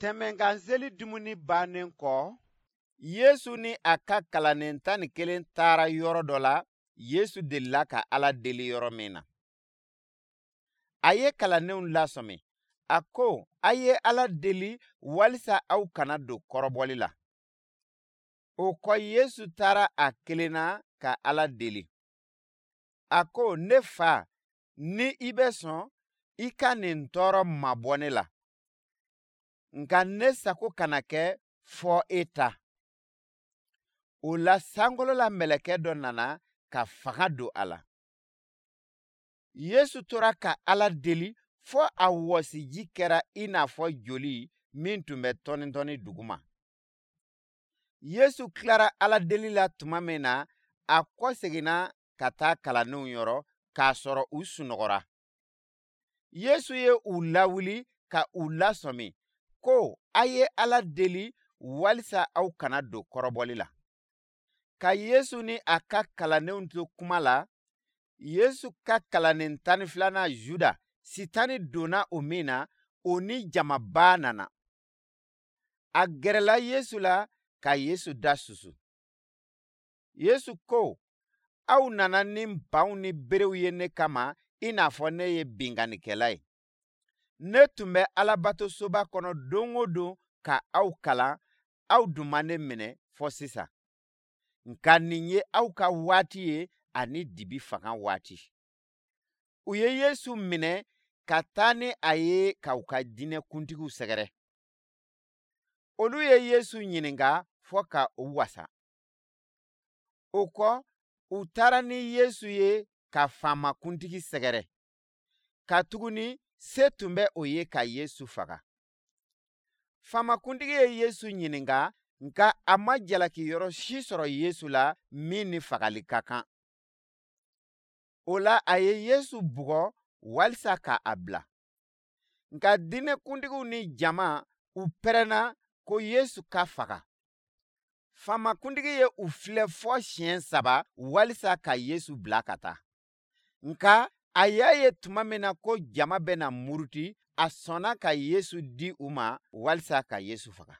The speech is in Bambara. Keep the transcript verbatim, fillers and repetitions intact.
Tɛmɛnkanseli dumuni bannen kɔ, Yesu ni a ka kalanden tan ni kelen taara yɔrɔ dɔ la, Yesu delila ka Ala deli yɔrɔ min na. A ye kalandenw lasɔmi, a ko, a ye Ala deli walisa aw kana don kɔrɔbɔli la. O kɔ, Yesu taara a kelen na ka Ala deli. A ko, ne fa, ni i bɛ sɔn, i ka nin tɔɔrɔ mabɔ ne la. Nka ne sago kana kɛ, fɔ e ta. O la, sankolola mɛlɛkɛ dɔ nana ka fanga don a la. Yesu tora ka Ala deli fɔ a wɔsiji kɛra i n'a fɔ joli min tun bɛ tɔni-tɔni duguma. Yesu tilara Ala deli la tuma min na, a kɔseginna ka taa kalandenw yɔrɔ k'a sɔrɔ u sunɔgɔra. Yesu ye u lawuli ka u lasɔmi ko, a ye Ala deli walisa aw kana don kɔrɔbɔli la. Ka Yesu ni a ka kalandenw to kuma la, Yesu ka kalanden tan ni filanan Juda, Sitani donna o min na, o ni jamaba nana. A gɛrɛla Yesu la ka Yesu da susu. Yesu ko, aw nana ni npanw ni berew ye ne kama i n'a fɔ ne ye binkannikɛla ye. Ne tun bɛ Alabatosoba kɔnɔ don o don ka aw kalan, aw dun ma ne minɛ fɔ sisan. Nka nin ye aw ka waati ye ani dibi fanga waati. U ye Yesu minɛ ka taa ni a ye ka u ka diinɛ kuntigiw sɛgɛrɛ. Olu ye Yesu ɲininka fɔ ka u wasa. O kɔ, u taara ni Yesu ye ka faamakuntigi sɛgɛrɛ, katuguni se tun bɛ o ye ka Yesu faga. Faamakuntigi ye Yesu ɲininka, nka a ma jalaki yɔrɔ si sɔrɔ Yesu la min ni fagali ka kan. O la, a ye Yesu bugɔ walisa ka a bila. Nka diinɛkuntigiw ni jama, u pɛrɛnna ko Yesu ka faga. Faamakuntigi ye u filɛ fɔ siɲɛ saba walisa ka Yesu bila ka taa. Nka a y'a ye tuma min na ko jama bɛna muruti, a sɔnna ka Yesu di u ma walisa ka Yesu faga.